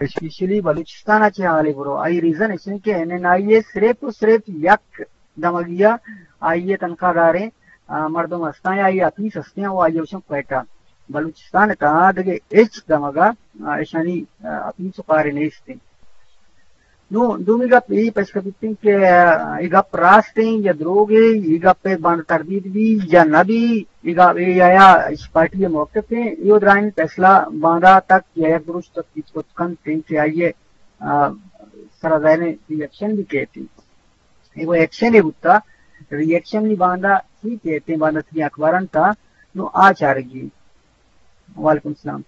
اسپیشلی بلوچستان ءَ چہ حالے برو، آئی ریزن اش انت کہ این این آئی اے صرف و صرف یک دمگی ءَ آئی ءِ تنخواہ داریں، آ، مردم ہستاں یا آئی ءِ آفیس ہستیں و آئی ءَ گوشاں کوئٹہ۔ بلوچستان ءِ تہا دگہ ہچ دمگ ءَ، آ، اشانی، آ، آفیس و کارے نیست انت۔ نوں دومی گپ اے پیش کپیت انت کہ، آ، اے گپ راست انت یا دروگ انت، اے گپ ءَ باندا تردید بی یا نہ بی، اے گپ، اے یا، یا اش پارٹی ءِ موقف انت، اے و درائیں فیصلہ باندا تک یا یک دروشم تک بیت کت کنت انت کہ آئی ءِ، آ، سرا ظاہر انت ری ایکشن بی کیت انت۔ اے و ایکشن ءَ بوتا، ری ایکشن نی باندا چی کیت انت، باندا تئی اخباران تا، نوں آ چارگی۔ وعلیکم السلام۔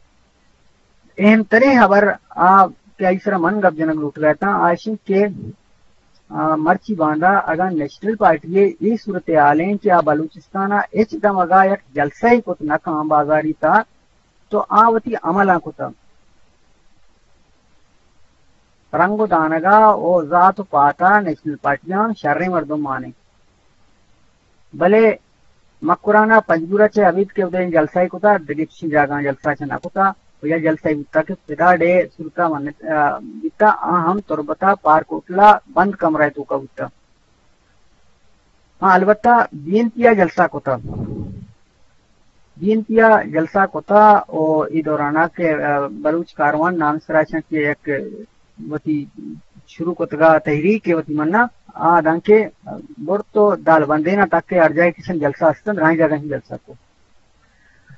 اہم ترین خبر آ کہ آئی سرا من گپ جنگ لوٹگا اتاں، آ اش انت کہ، آ، مرچی باندا اگاں نیشنل پارٹی ءِ اے صورتحال انت کہ آ بلوچستان ءَ ہچ دمگ ءَ یک جلسہ ءَ کت نہ کن بازاری تا، تو آ وتی عملاں کتا۔ رنگ و دانگا و ذات و پاتا نیشنل پارٹیاں شریں مردم مانیں۔ بلے مکران ءَ پنجگور ءَ چہ ابید کہ اودے جلسہ ءَ کتا، دگہ چشیں جاگہاں جلسہ چہ نہ کتا، و یا جلسہ ءَ بوتا کہ پدا ڈے سرتا من، آ، بیتا، آ ہم تربت ءَ پارک ہوٹل ءَ بند کمرہ ءِ توکا بوتا۔ ہاں، البتہ بی این پی ءَ جلسہ کتا۔ بی این پی ءَ جلسہ کتا و اے دوران ءَ کہ، آ، بلوچ کاروان نام سرا چنت کہ یک وتی شروع کتگا تحریک ءَ وتی منا آ دانکہ برت و دال بندین ءَ تک کہ ہر جاہ کشن جلسہ است انت، درائیں جاگہ ہم جلسہ کو۔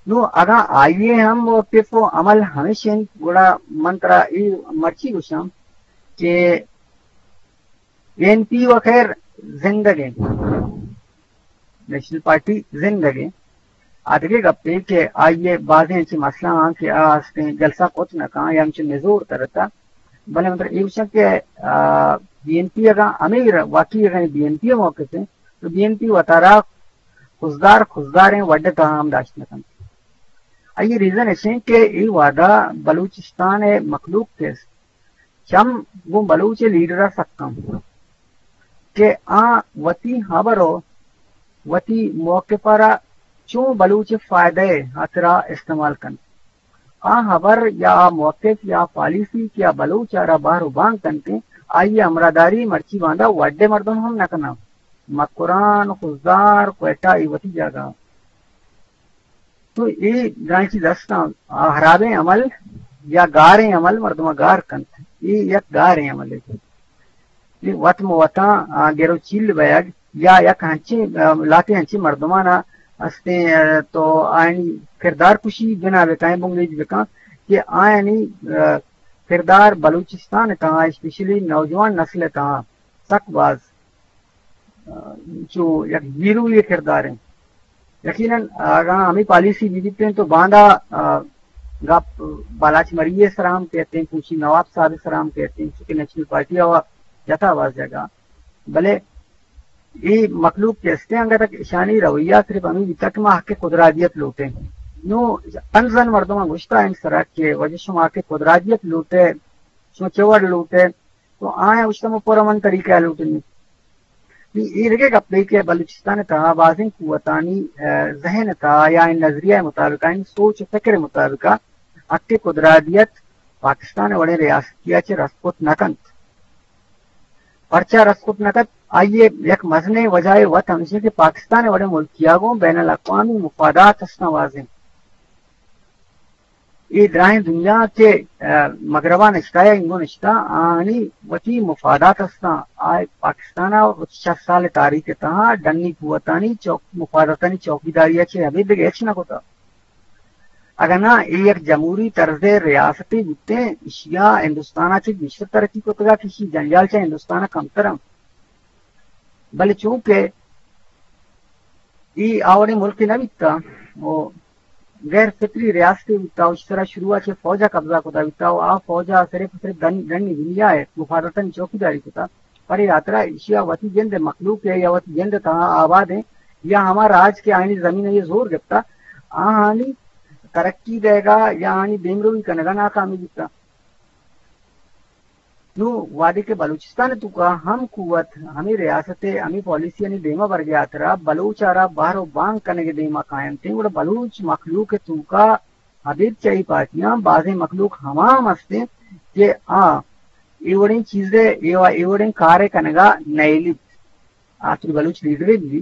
نوں اگاں آئی ءِ ہم موقف و عمل ہمیش انت، گڑا من ترا اے مرچی گوشاں کہ بی این پی و خیر زندگ انت، نیشنل پارٹی زندگ انت۔ آ دگہ گپے کہ آئی ءِ بازیں انچیں مسئلہ آں کہ آ ہستیں جلسہ کت نہ کن یا انچیں نزور ترتا، بلے مطلب اے گوشاں کہ، آ، بی این پی اگاں ہمے ر-، واقعی اگاں بی این پی ءِ موقف انت تو بی این پی وتارا خضدار، خضداریں وڈ ءِ تہا ہم داشت نہ کنت۔ آئی ءِ ریزن اش انت کہ اے وہدا بلوچستان ءِ مخلوق کہ است، چم گوں بلوچ لیڈر ءَ سک انت کہ آ وتی ہبر و وتی موقف ءَ را چوں بلوچ فائدہ ءِ ہاترا استعمال کنت۔ آ ہبر یا آ موقف یا آ پالیسی کہ آ بلوچ ءَ را بہر و بانگ کنت، آئی ءِ ہمراہداری مرچی باندا وڈ ءِ مردم ہم نہ کناں۔ مکران، خضدار، کوئٹہ اے وتی جاگہ۔ تو اے درائیں چیز استاں، آ ہرابیں عمل یا گاریں عمل مردم ءَ گار کنت۔ اے یک گاریں عملے۔ اے وت مہ وتاں، آ، گر و چیل بیگ یا یک ہنچیں، آ، لہتے ہنچیں مردمان ءَ استیں، آ، تو آیانی کردار کشی بنا بکن، بنگیج بکن کہ آیانی، آ، کردار بلوچستان ءِ تہا، اسپیشلی نوجوان نسل ءِ تہا سک باز چو یک زیروی کردار انت۔ یقیناً اگاں ہمے پالیسی بہ بیتیں تو باندا، آ، گپ بالاچ مری ءِ سرا ہم کیتیں، پوشی نواب صاحب ءِ سرا ہم کیتیں، چونکہ نیشنل پارٹی ءَ جتا باز جاگہ۔ بلے اے مخلوق کہ استیں انگت اشانی رویہ صرف ہمے بیتا کہ ما حق قدرادیت لوٹیں۔ نوں تنزن مردماں گوشتا انت سرا کہ واجہ شما حق قدرادیت لوٹے، شما چے وڑ لوٹے؟ تو آیاں گوشتہ ما پرامن طریقہ ءَ لوٹیں۔ نی اے دگہ گپے کہ بلوچستان ءِ تہا بازیں قوتانی، آ، ذہن ءِ تہا یا اے نظریہ ءِ مطابق، آیانی سوچ ءُ فکر ءِ مطابق حق قدرادیت پاکستان ءِ وڑیں ریاستی ءَ چہ رست کت نہ کنت۔ پرچا رست کت نہ کنت؟ آئی ءِ یک مزنیں وجہ ءِ وت ہمیش انت کہ پاکستان ءِ وڑیں ملکے ءَ گوں بین الاقوامی مفادات استاں بازیں۔ اے دراہیں دنیا کہ، آ، مغربا نشتہ یا اینگو نشتہ، آنی وتی مفادات استاں۔ آ پاکستان ءَ وتی شست سال ءِ تاریخ ءِ تہا ڈنی قوتانی چوک-، مفاداتانی چوکیداری ءَ چہ ابید دگہ ہچ نہ کتہ۔ اگاں نہ اے یک جمہوری طرز ءِ ریاستے بوتیں، ایشی ءَ ہندوستان ءَ چہ گیشتر ترقی کتگ ات، ایشی جنجال چہ ہندوستان ءَ کمتر انت۔ بلے چونکہ اے آ وڑیں ملکے نہ بیتہ و غیر فطری ریاستے بوتہ و ایشی سرا شروع ءَ چہ فوج ءَ قبضہ کتہ بیتہ و آ فوج ءَ صرف صرف ڈن-، ڈنی دنیا ءِ مفاداتانی چوکیداری کتہ، پرے ہاترا ایشی ءَ وتی جند ءِ مخلوق ءِ یا وتی جند ءِ تہا آبادیں یا ہما راج کہ آیانی زمین ءَ اے زور گپتہ، آہانی ترقی دئیگ ءَ یا آہانی دیمروی کنگ ءَ ناکامیں بیتہ۔ نوں وہدے کہ بلوچستان ءِ توکا ہم قوت، ہمے ریاست ءِ ہمے پالیسیانی دیما برگ ءِ ہاترا بلوچ ءَ را بہر و بانگ کنگ ءِ دیما کاینت انت، گڑا بلوچ مخلوق ءِ توکا ابید چہ اے پارٹیاں بازیں مخلوق ہما ہم است انت کہ آ اے وڑیں چیزے، اے و-، اے وڑیں کارے کنگا نئیلیت۔ آ تری بلوچ لیڈرے بی،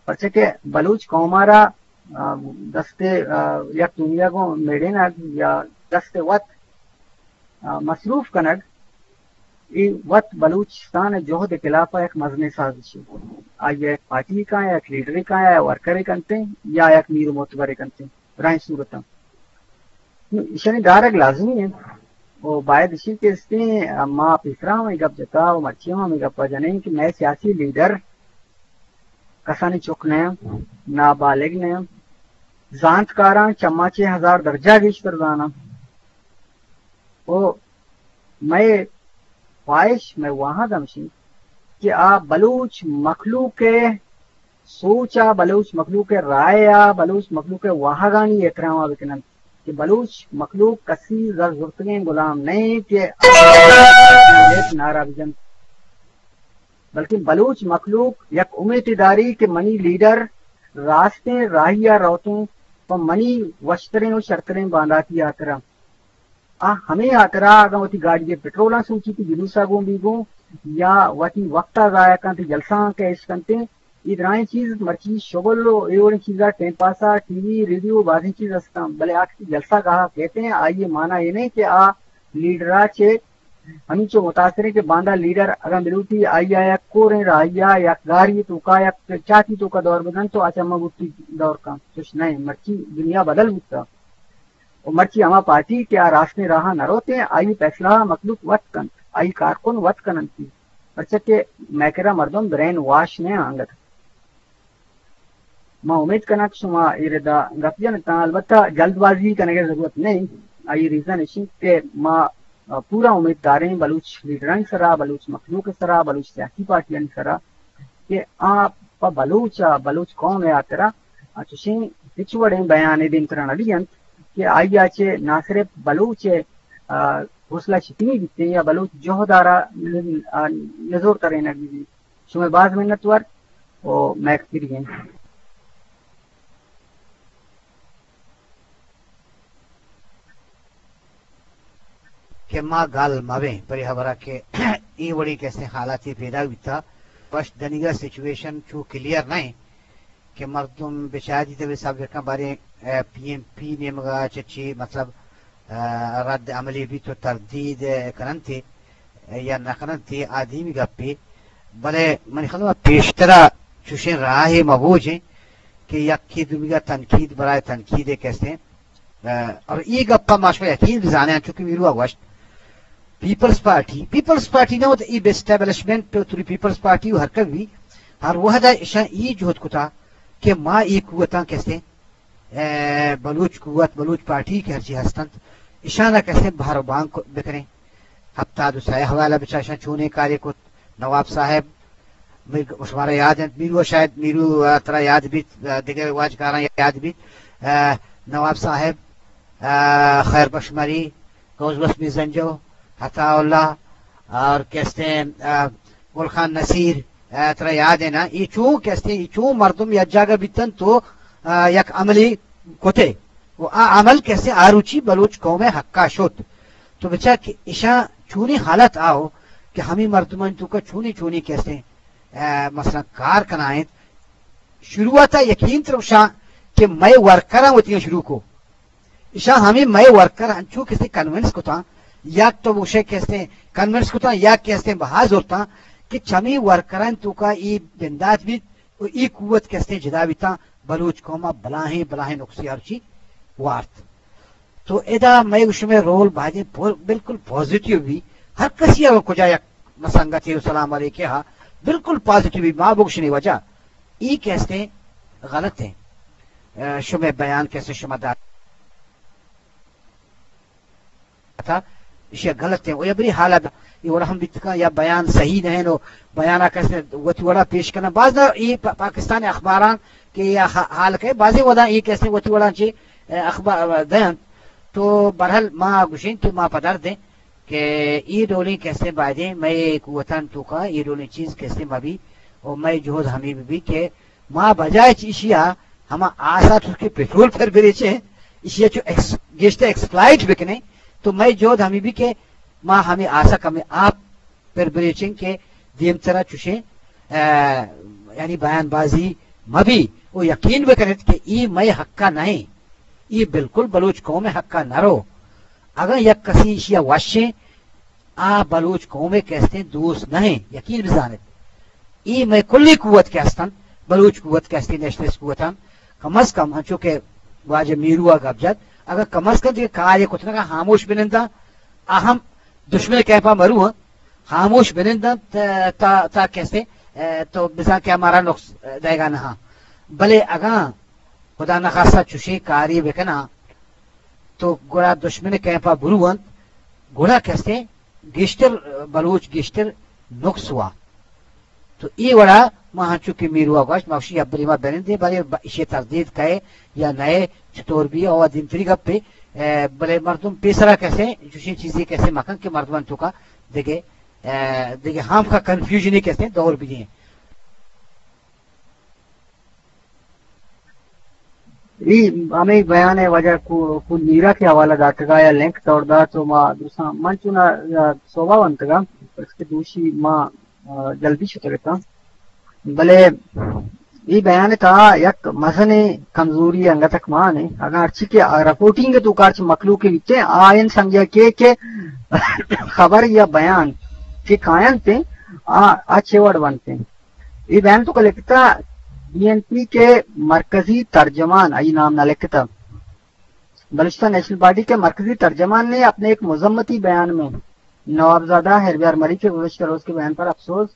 پرچہ کہ بلوچ قوم ء را، آ، دست، آ، یک دنیا گوں میڑینگ یا دست وت، آ، مصروف کنگ، اے وت بلوچستان ء جہد ء خلاف ء یک مزنیں سازشے۔ آئی ء یک پارٹی کاں، یک لیڈرے کاں، یا ورکرے کنتیں، یا یک میر و معتبرے کنتیں، براہیں صورتاں۔ نوں ایشانی دارگ لازمی انت و باید ایشی کہ استیں، ما پیسرا ہم اے گپ جتا و مرچی ہم ہمے گپ ء جنیں کہ مئے سیاسی لیڈر کسانی چک نہ انت، نابالغ نہ انت، زانتکاراں چما چہ ہزار درجہ گیشتر زاناں۔ و مئے خواہش، مئے واہگ ہمشی کہ آ بلوچ مخلوق ء سوچ ء، بلوچ مخلوق ء رائے ء، بلوچ مخلوق ء واہگانی احترام ء بکن انت کہ بلوچ مخلوق کسی زر زرتگیں غلام نہ انت کہ نعرہ بجنت، بلکن بلوچ مخلوق یک امیتے داری کہ منی لیڈر راستیں راہی ء روتیں پہ منی وشتریں و شرتریں بانداتی ہاترا۔ آ ہمے ہاترا اگاں وتی گاڑی ء پٹرولاں سوچیت، جلوس ء گوں بی گوں یا وتی وقت ء ضائع کنت، جلسہ آں کیش کنت، اے درائیں چیز مرچی شغل و اے وڑیں چیزا، ٹائم پاسا، ٹی وی، ریڈیو، بازیں چیز ہستاں، بلے آ کہ جلسہ گاہا کہتے ہیں، آئی ء معنی اے نہیں کہ آ لیڈرا چے ہمینچو متاثر ہیں کہ باندا لیڈر اگاں بلوٹی آئی ء یک کوریں راہی ء یک گاری توکا یک چاتی توکا دور بدن تو آ چما بوٹی دور کن، چش نہیں، مرچی دنیا بدل بوتا۔ و مرچی ہما پارٹی کہ آ راستیں راہ ء نہ روت انت، آئی فیصلہ ء مخلوق وت کنت، آئی کارکن وت کن انت، پرچا کہ مئے کرا مردم برین واش نہ انت انگت۔ ما امید کناں کہ شما اے ردا گپ جن اتاں، البتہ جلد بازی کنگ ء ضرورت نہیں۔ آئی ریزن اش انت کہ ما پورا امید داریں بلوچ لیڈرانی سرا، بلوچ مخلوق ء سرا، بلوچ سیاسی پارٹیانی سرا کہ آ پہ بلوچ ء بلوچ قوم ء ہاترا آ چشیں ہچ وڑیں بیانے دیمترا نہ دینت کہ آئی ء چہ نہ صرف بلوچ ء، آ، حوصلہ شکنی بیت یا بلوچ جہد ء را ن-، آ، نزور ترینگ بیت۔ شمئے باز منتوار و مئے کریگیں۔ کہ ما گل مبیں پرے ہبرا کہ اے وڑیں کسیں حالاتے پیدا بیتا، پشت دنیگا سچویشن چو کلیئر نہ انت کہ مردم بچاری تبے سبجیکٹاں باریں، اے، پی ایم پی نیمگا چچی مطلب، اے، رد عملی بیت و تردید کننتی یا نہ کننتی آ دیمی گپی، بلے منی خیال پیشترا چوشیں راہے مبوجیں کہ یکی دومیگا تنقید برائے تنقید کسیں۔ ء، اور اے گپ ء ما شما یقین بزانیں، چونکہ میرو ء گوشت، پیپلز پارٹی، پیپلز پارٹی نہ ہوتا، اے اسٹیبلشمنٹ، توری پیپلز پارٹی و ہر کبھی، ہر وحدہ اشاں اے جہد کتا کہ ما اے قوتاں کسے، ء، بلوچ قوت، بلوچ پارٹی کہ ہرچی ہستنت، اشاں کسے بہر و بانگ بکنیں۔ ہفتاد و سئے حوالہ بچا اشاں چونیں کارے کت، نواب صاحب، میر-، شمارا یاد انت، میرو شاید، میرو، آ، ترا یاد بیت، آ، دگہ واجکاراں یاد بیت، آ، نواب صاحب، آ، خیر بخش مری، غوث بخش میرزنجو، عطا اللہ اور کستیں، آ، گل خان نصیر، آ، ترا یاد ہے نا؟ یہ چون کستیں، یہ چون مردم یک جاگہ بیتن تو، آ، یک عملی کتے۔ و آ عمل کستیں آروچی بلوچ قوم حقا شد۔ تو بچار کہ اشاں چونیں حالت آؤ کہ ہمیں مردمان توکا چونیں چونیں کستیں، آ، مثلاً کار کنائیں۔ شروعاتا یقین ترا گوشاں کہ مئے ورکراں وتیاں شروع کو۔ اشاں ہمیں مئے ورکر انچو کسے کنونس کتاں، یا تو گوشے کسے کنونس کتاں، یا کسے بہا زورتاں کہ چمی ورکران توکا ای بندات بیت و ای قوت کسے جدا بیتاں، بلوچ قوما بلاہیں، بلاہیں نقصی ہرچی وارت۔ تو ادا مئے و شمئے رول بایدیں پو-، بالکل پازیٹیو بی۔ ہر کسی اگر کجا یک مسنگتے و سلام علیکے ہا، بالکل پازیٹیو بی۔ ما بگشنی وجہ ای کہ ہستیں غلط ہیں۔ اه، شمئے بیان کسے شما دات۔ تھا، ایشی غلط ہیں۔ و یا بری حالت، یہ وڑا ہم بیت کن یا بیان صحیح نہیں نو، بیانا کسے وتی وڑا پیش کرنا۔ باز دا یہ پا-، پاکستان اخباران کہ یا حا-، حال کے، بازی ودا یہ کسے وتی وڑا چی، اے، اخبار دین۔ تو برحال ما گوشین کہ ما پدر دیں کہ یہ ڈولیں کسے بایدیں، مئے قوتان توکا یہ ڈولیں چیز کسے مبی، و مئے جہد ہمیں بی کہ ما بجائے چہ ایشیا ہما آسا تو کہ پٹرول پر بریچیں، ایشیا چو ایکس-، گیشتر ایکسپلائٹ بکنیں، تو مئے جہد ہمے بی کہ ما ہمے آسا کمیں آپ پر بریچیں کہ دیمترا چوشیں، ا، یعنی بیان بازی مبی و یقین بکنت کہ ای مئے حقا نہ ایں، ای بالکل بلوچ قوم حقا نہ رو۔ اگاں یک کسی ایشیا وشیں، آ بلوچ قوم کستیں دوست نہ ایں، یقین بزانت۔ ای مئے کلی قوت کہ ہستن، بلوچ قوت کہ ہستیں، نیشنلسٹ قوتاں، کم از کم انچو کہ واجہ میرو ء گپ جت، اگاں کم از کم دیگہ کارے کت نہ کناں، ہاموش بننداں، آ ہم دشمن کیمپا مرو ہاں، ہاموش بننداں تا، تا، تا کسے، ا، تو بزاں کہ ہمارا نقص دئیگا نہ ہاں۔ بلے اگاں خدا نخواستہ چوشیں کارے بکناں، تو گڑا دشمن کیمپا برو انت، گڑا کسے گیشتر بلوچ گیشتر نقص وا۔ تو اے وڑا ما ہنچو کہ میروا گوشت، ما گوشی ابری ما بنندیں، بلے ب-، ایشی تردید کئے یا نئے، چطور بی، او دیمتری گپے، ا، بلے مردم پیسرا کسے، چوشیں چیزے کسے مکن کہ مردمان توکا دگہ، ا، دگہ ہام کا کنفیوژنے کسے دور بی دیں۔ ای ہمیں بیان ء واجہ کو، کو نیرا کے حوالہ داتگا یا لنک توڑ دا تو ما درساں من چونا، ا، صوبہ ونتگا، اس کے دوشی ما، ا، جلدی شتگتا۔ بلے ای بیان تا یک مزن کمزوری انگتک مان ہے۔ اگر ہرچی کہ رپورٹنگ تو کارچ مخلوق بیتے، آئین سمجھا کے کہ خبر یا بیان کہ کائن تے، آ، آ چے وڑ بنتے۔ اے بیان تو لکھتا بی این پی کے مرکزی ترجمان، آئی نام نہ لکھتا، بلوچستان نیشنل پارٹی کے مرکزی ترجمان نے اپنے ایک مذمتی بیان میں نوابزادہ ہیربیار مری کے گزشتہ روز کے بیان پر افسوس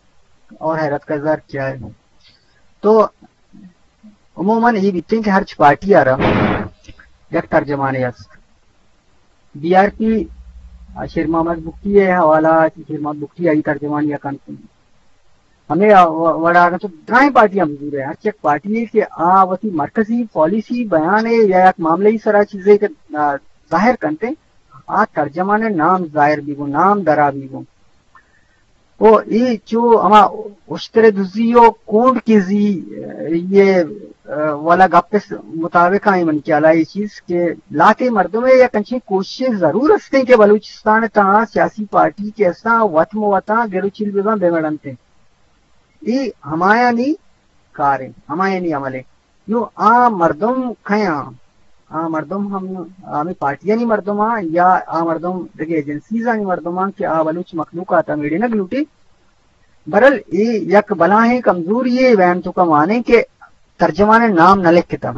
اور حیرت کا اظہار کیا ہے۔ تو عموماً یہ بیتیں کہ ہر پارٹی آ رہا یک ترجمانے است۔ بی آر پی شیر محمد بگٹی ء حوالہ، شیر محمد بگٹی آئی ترجمان یا کنت۔ ہمیں وڑا اگر تو درائیں پارٹیاں بزور ہے، ہر چیک پارٹی ہے کہ آ وتی مرکزی پالیسی بیان ہے یا یک معاملہ ہی سرا چیزے کہ، آ، ظاہر کنتے، آ ترجمان نام ظاہر بھی گو، نام درا بھی گو۔ او اے چو ہما اشتر دزی و کونڈ کیزی، اے، یہ، اے، والا گپ اس مطابق آئی من خیال آئی چیز کہ لاتے مردم ہے یا کنچی کوشش ضرور ہستے کہ بلوچستان تا سیاسی پارٹی کے اساں وطن وطن گرو چیل بزاں بے مڑنتے۔ اے ہمایانی کار ہے، ہمایانی عمل ہے۔ نوں آ مردم کئے آں؟ آ مردم ہم ہمے پارٹیانی مردم آں یا آ مردم دگہ ایجنسیزانی مردم آں کہ آ بلوچ مخلوق ء تہ میڑینگ لوٹی؟ برحال اے یک بلاہیں کمزوری یے، وین تو کا مانیں کہ ترجمان نام نہ لکھتا۔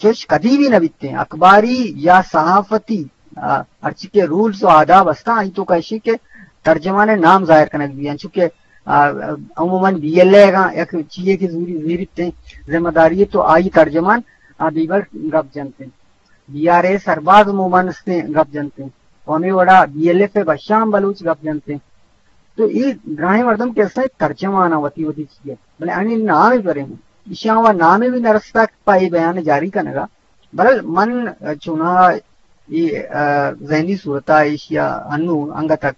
چوش کدی بھی نہ بیتیں۔ اخباری یا صحافتی، آ، ہرچی کہ رولز و آداب ہستاں، آئی تو کا اشی کہ ترجمان نام ظاہر کنگ بھی، انچو کہ آ، عموماً بی ایل اے گا یک چیئے کہ زوری، زیریت ذمہ داری ہے تو آئی ترجمان، آ، بیبر گپ جنتے۔ بی آر اے سرباز عموماً استیں گپ جنتے۔ و ہمیں وڑا بی ایل ایف بشام بلوچ گپ جنتے۔ تو ای دراہیں مردم کہ استیں ترجمان وتی وتی چیئے۔ بلے انی نام ہی پریں۔ ایشاں و نام بھی نرستا پا ای بیان جاری کنگا۔ برحال من چونا ای، آ، ذہنی صورتا ایشیا انو انگتک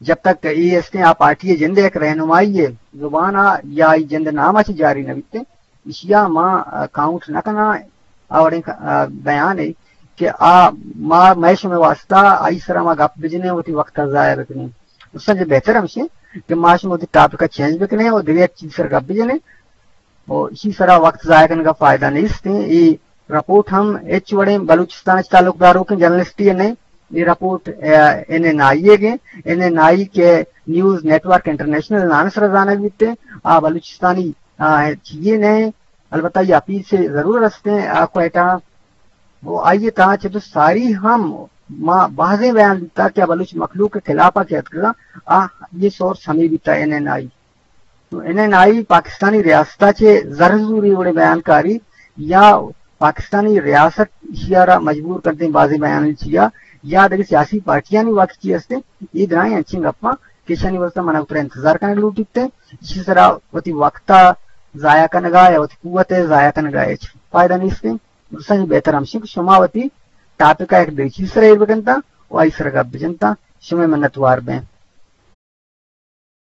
جب تک اے استیں آ پارٹی ء جند ء یک رہنمائی ء زبان ء یا ای جند نام ء چہ جاری نہ بیتیں، ایشی ء ما، آ، کاؤنٹ نہ کناں۔ آ وڑیں ک-، آ، بیان ء کہ آ ما، مئے شمئے واسطہ آئی سرا ما گپ بجنیں، وتی وقت ء ضائع بکنیں۔ اس سے بہتر ہمشیں کہ ما شما وتی ٹاپک ء چینج بکنیں اور دگہ یک چیز سر گپ بجنیں۔ و ایشی سرا وقت ضائع کنگا فائدہ نیست۔ اے رپورٹ ہم ہچ وڑیں بلوچستان اچ تعلق داروکیں جرنلسٹی ء نئے۔ اے رپورٹ، آ، این این آئی ء گیں۔ این این آئی کہ نیوز نیٹ ورک انٹرنیشنل نام سرا زانگ بیتے۔ آ بلوچستانی، آ، چیئے نئے۔ البتہ یہ اپیل سے ضرور رستے ہیں، آ، کوئٹہ۔ و آئی ء تہا چہ تو ساری ہم ما بازیں بیان دیتا کہ آ بلوچ مخلوق کے خلاف آ کہ اتکگا، آ، یہ سورس ہمیں بیتا این این آئی۔ تو این این آئی پاکستانی ریاست ء چہ زر زوری وڑیں بیان کاری یا پاکستانی ریاست ایشی ء را مجبور کنتیں بازیں بیان چیا یا دگہ سیاسی پارٹیانی وقت چی ہستیں، اے درائیں انچیں گپاں کہ ایشانی واسطہ منا اترا انتظار کنگ لوٹیت۔ ایشی سرا وتی وقت ء ضائع کنگا یا وتی قوت ء ضائع کنگا ہچ فائدہ نیستیں۔ درستاں بہتر ہمشیں کہ شما وتی ٹاپک ء یک دگہ چیز سرا ایر بکنتاں و آئی سرا گپ بجنتاں۔ شمئے منتوار بیں۔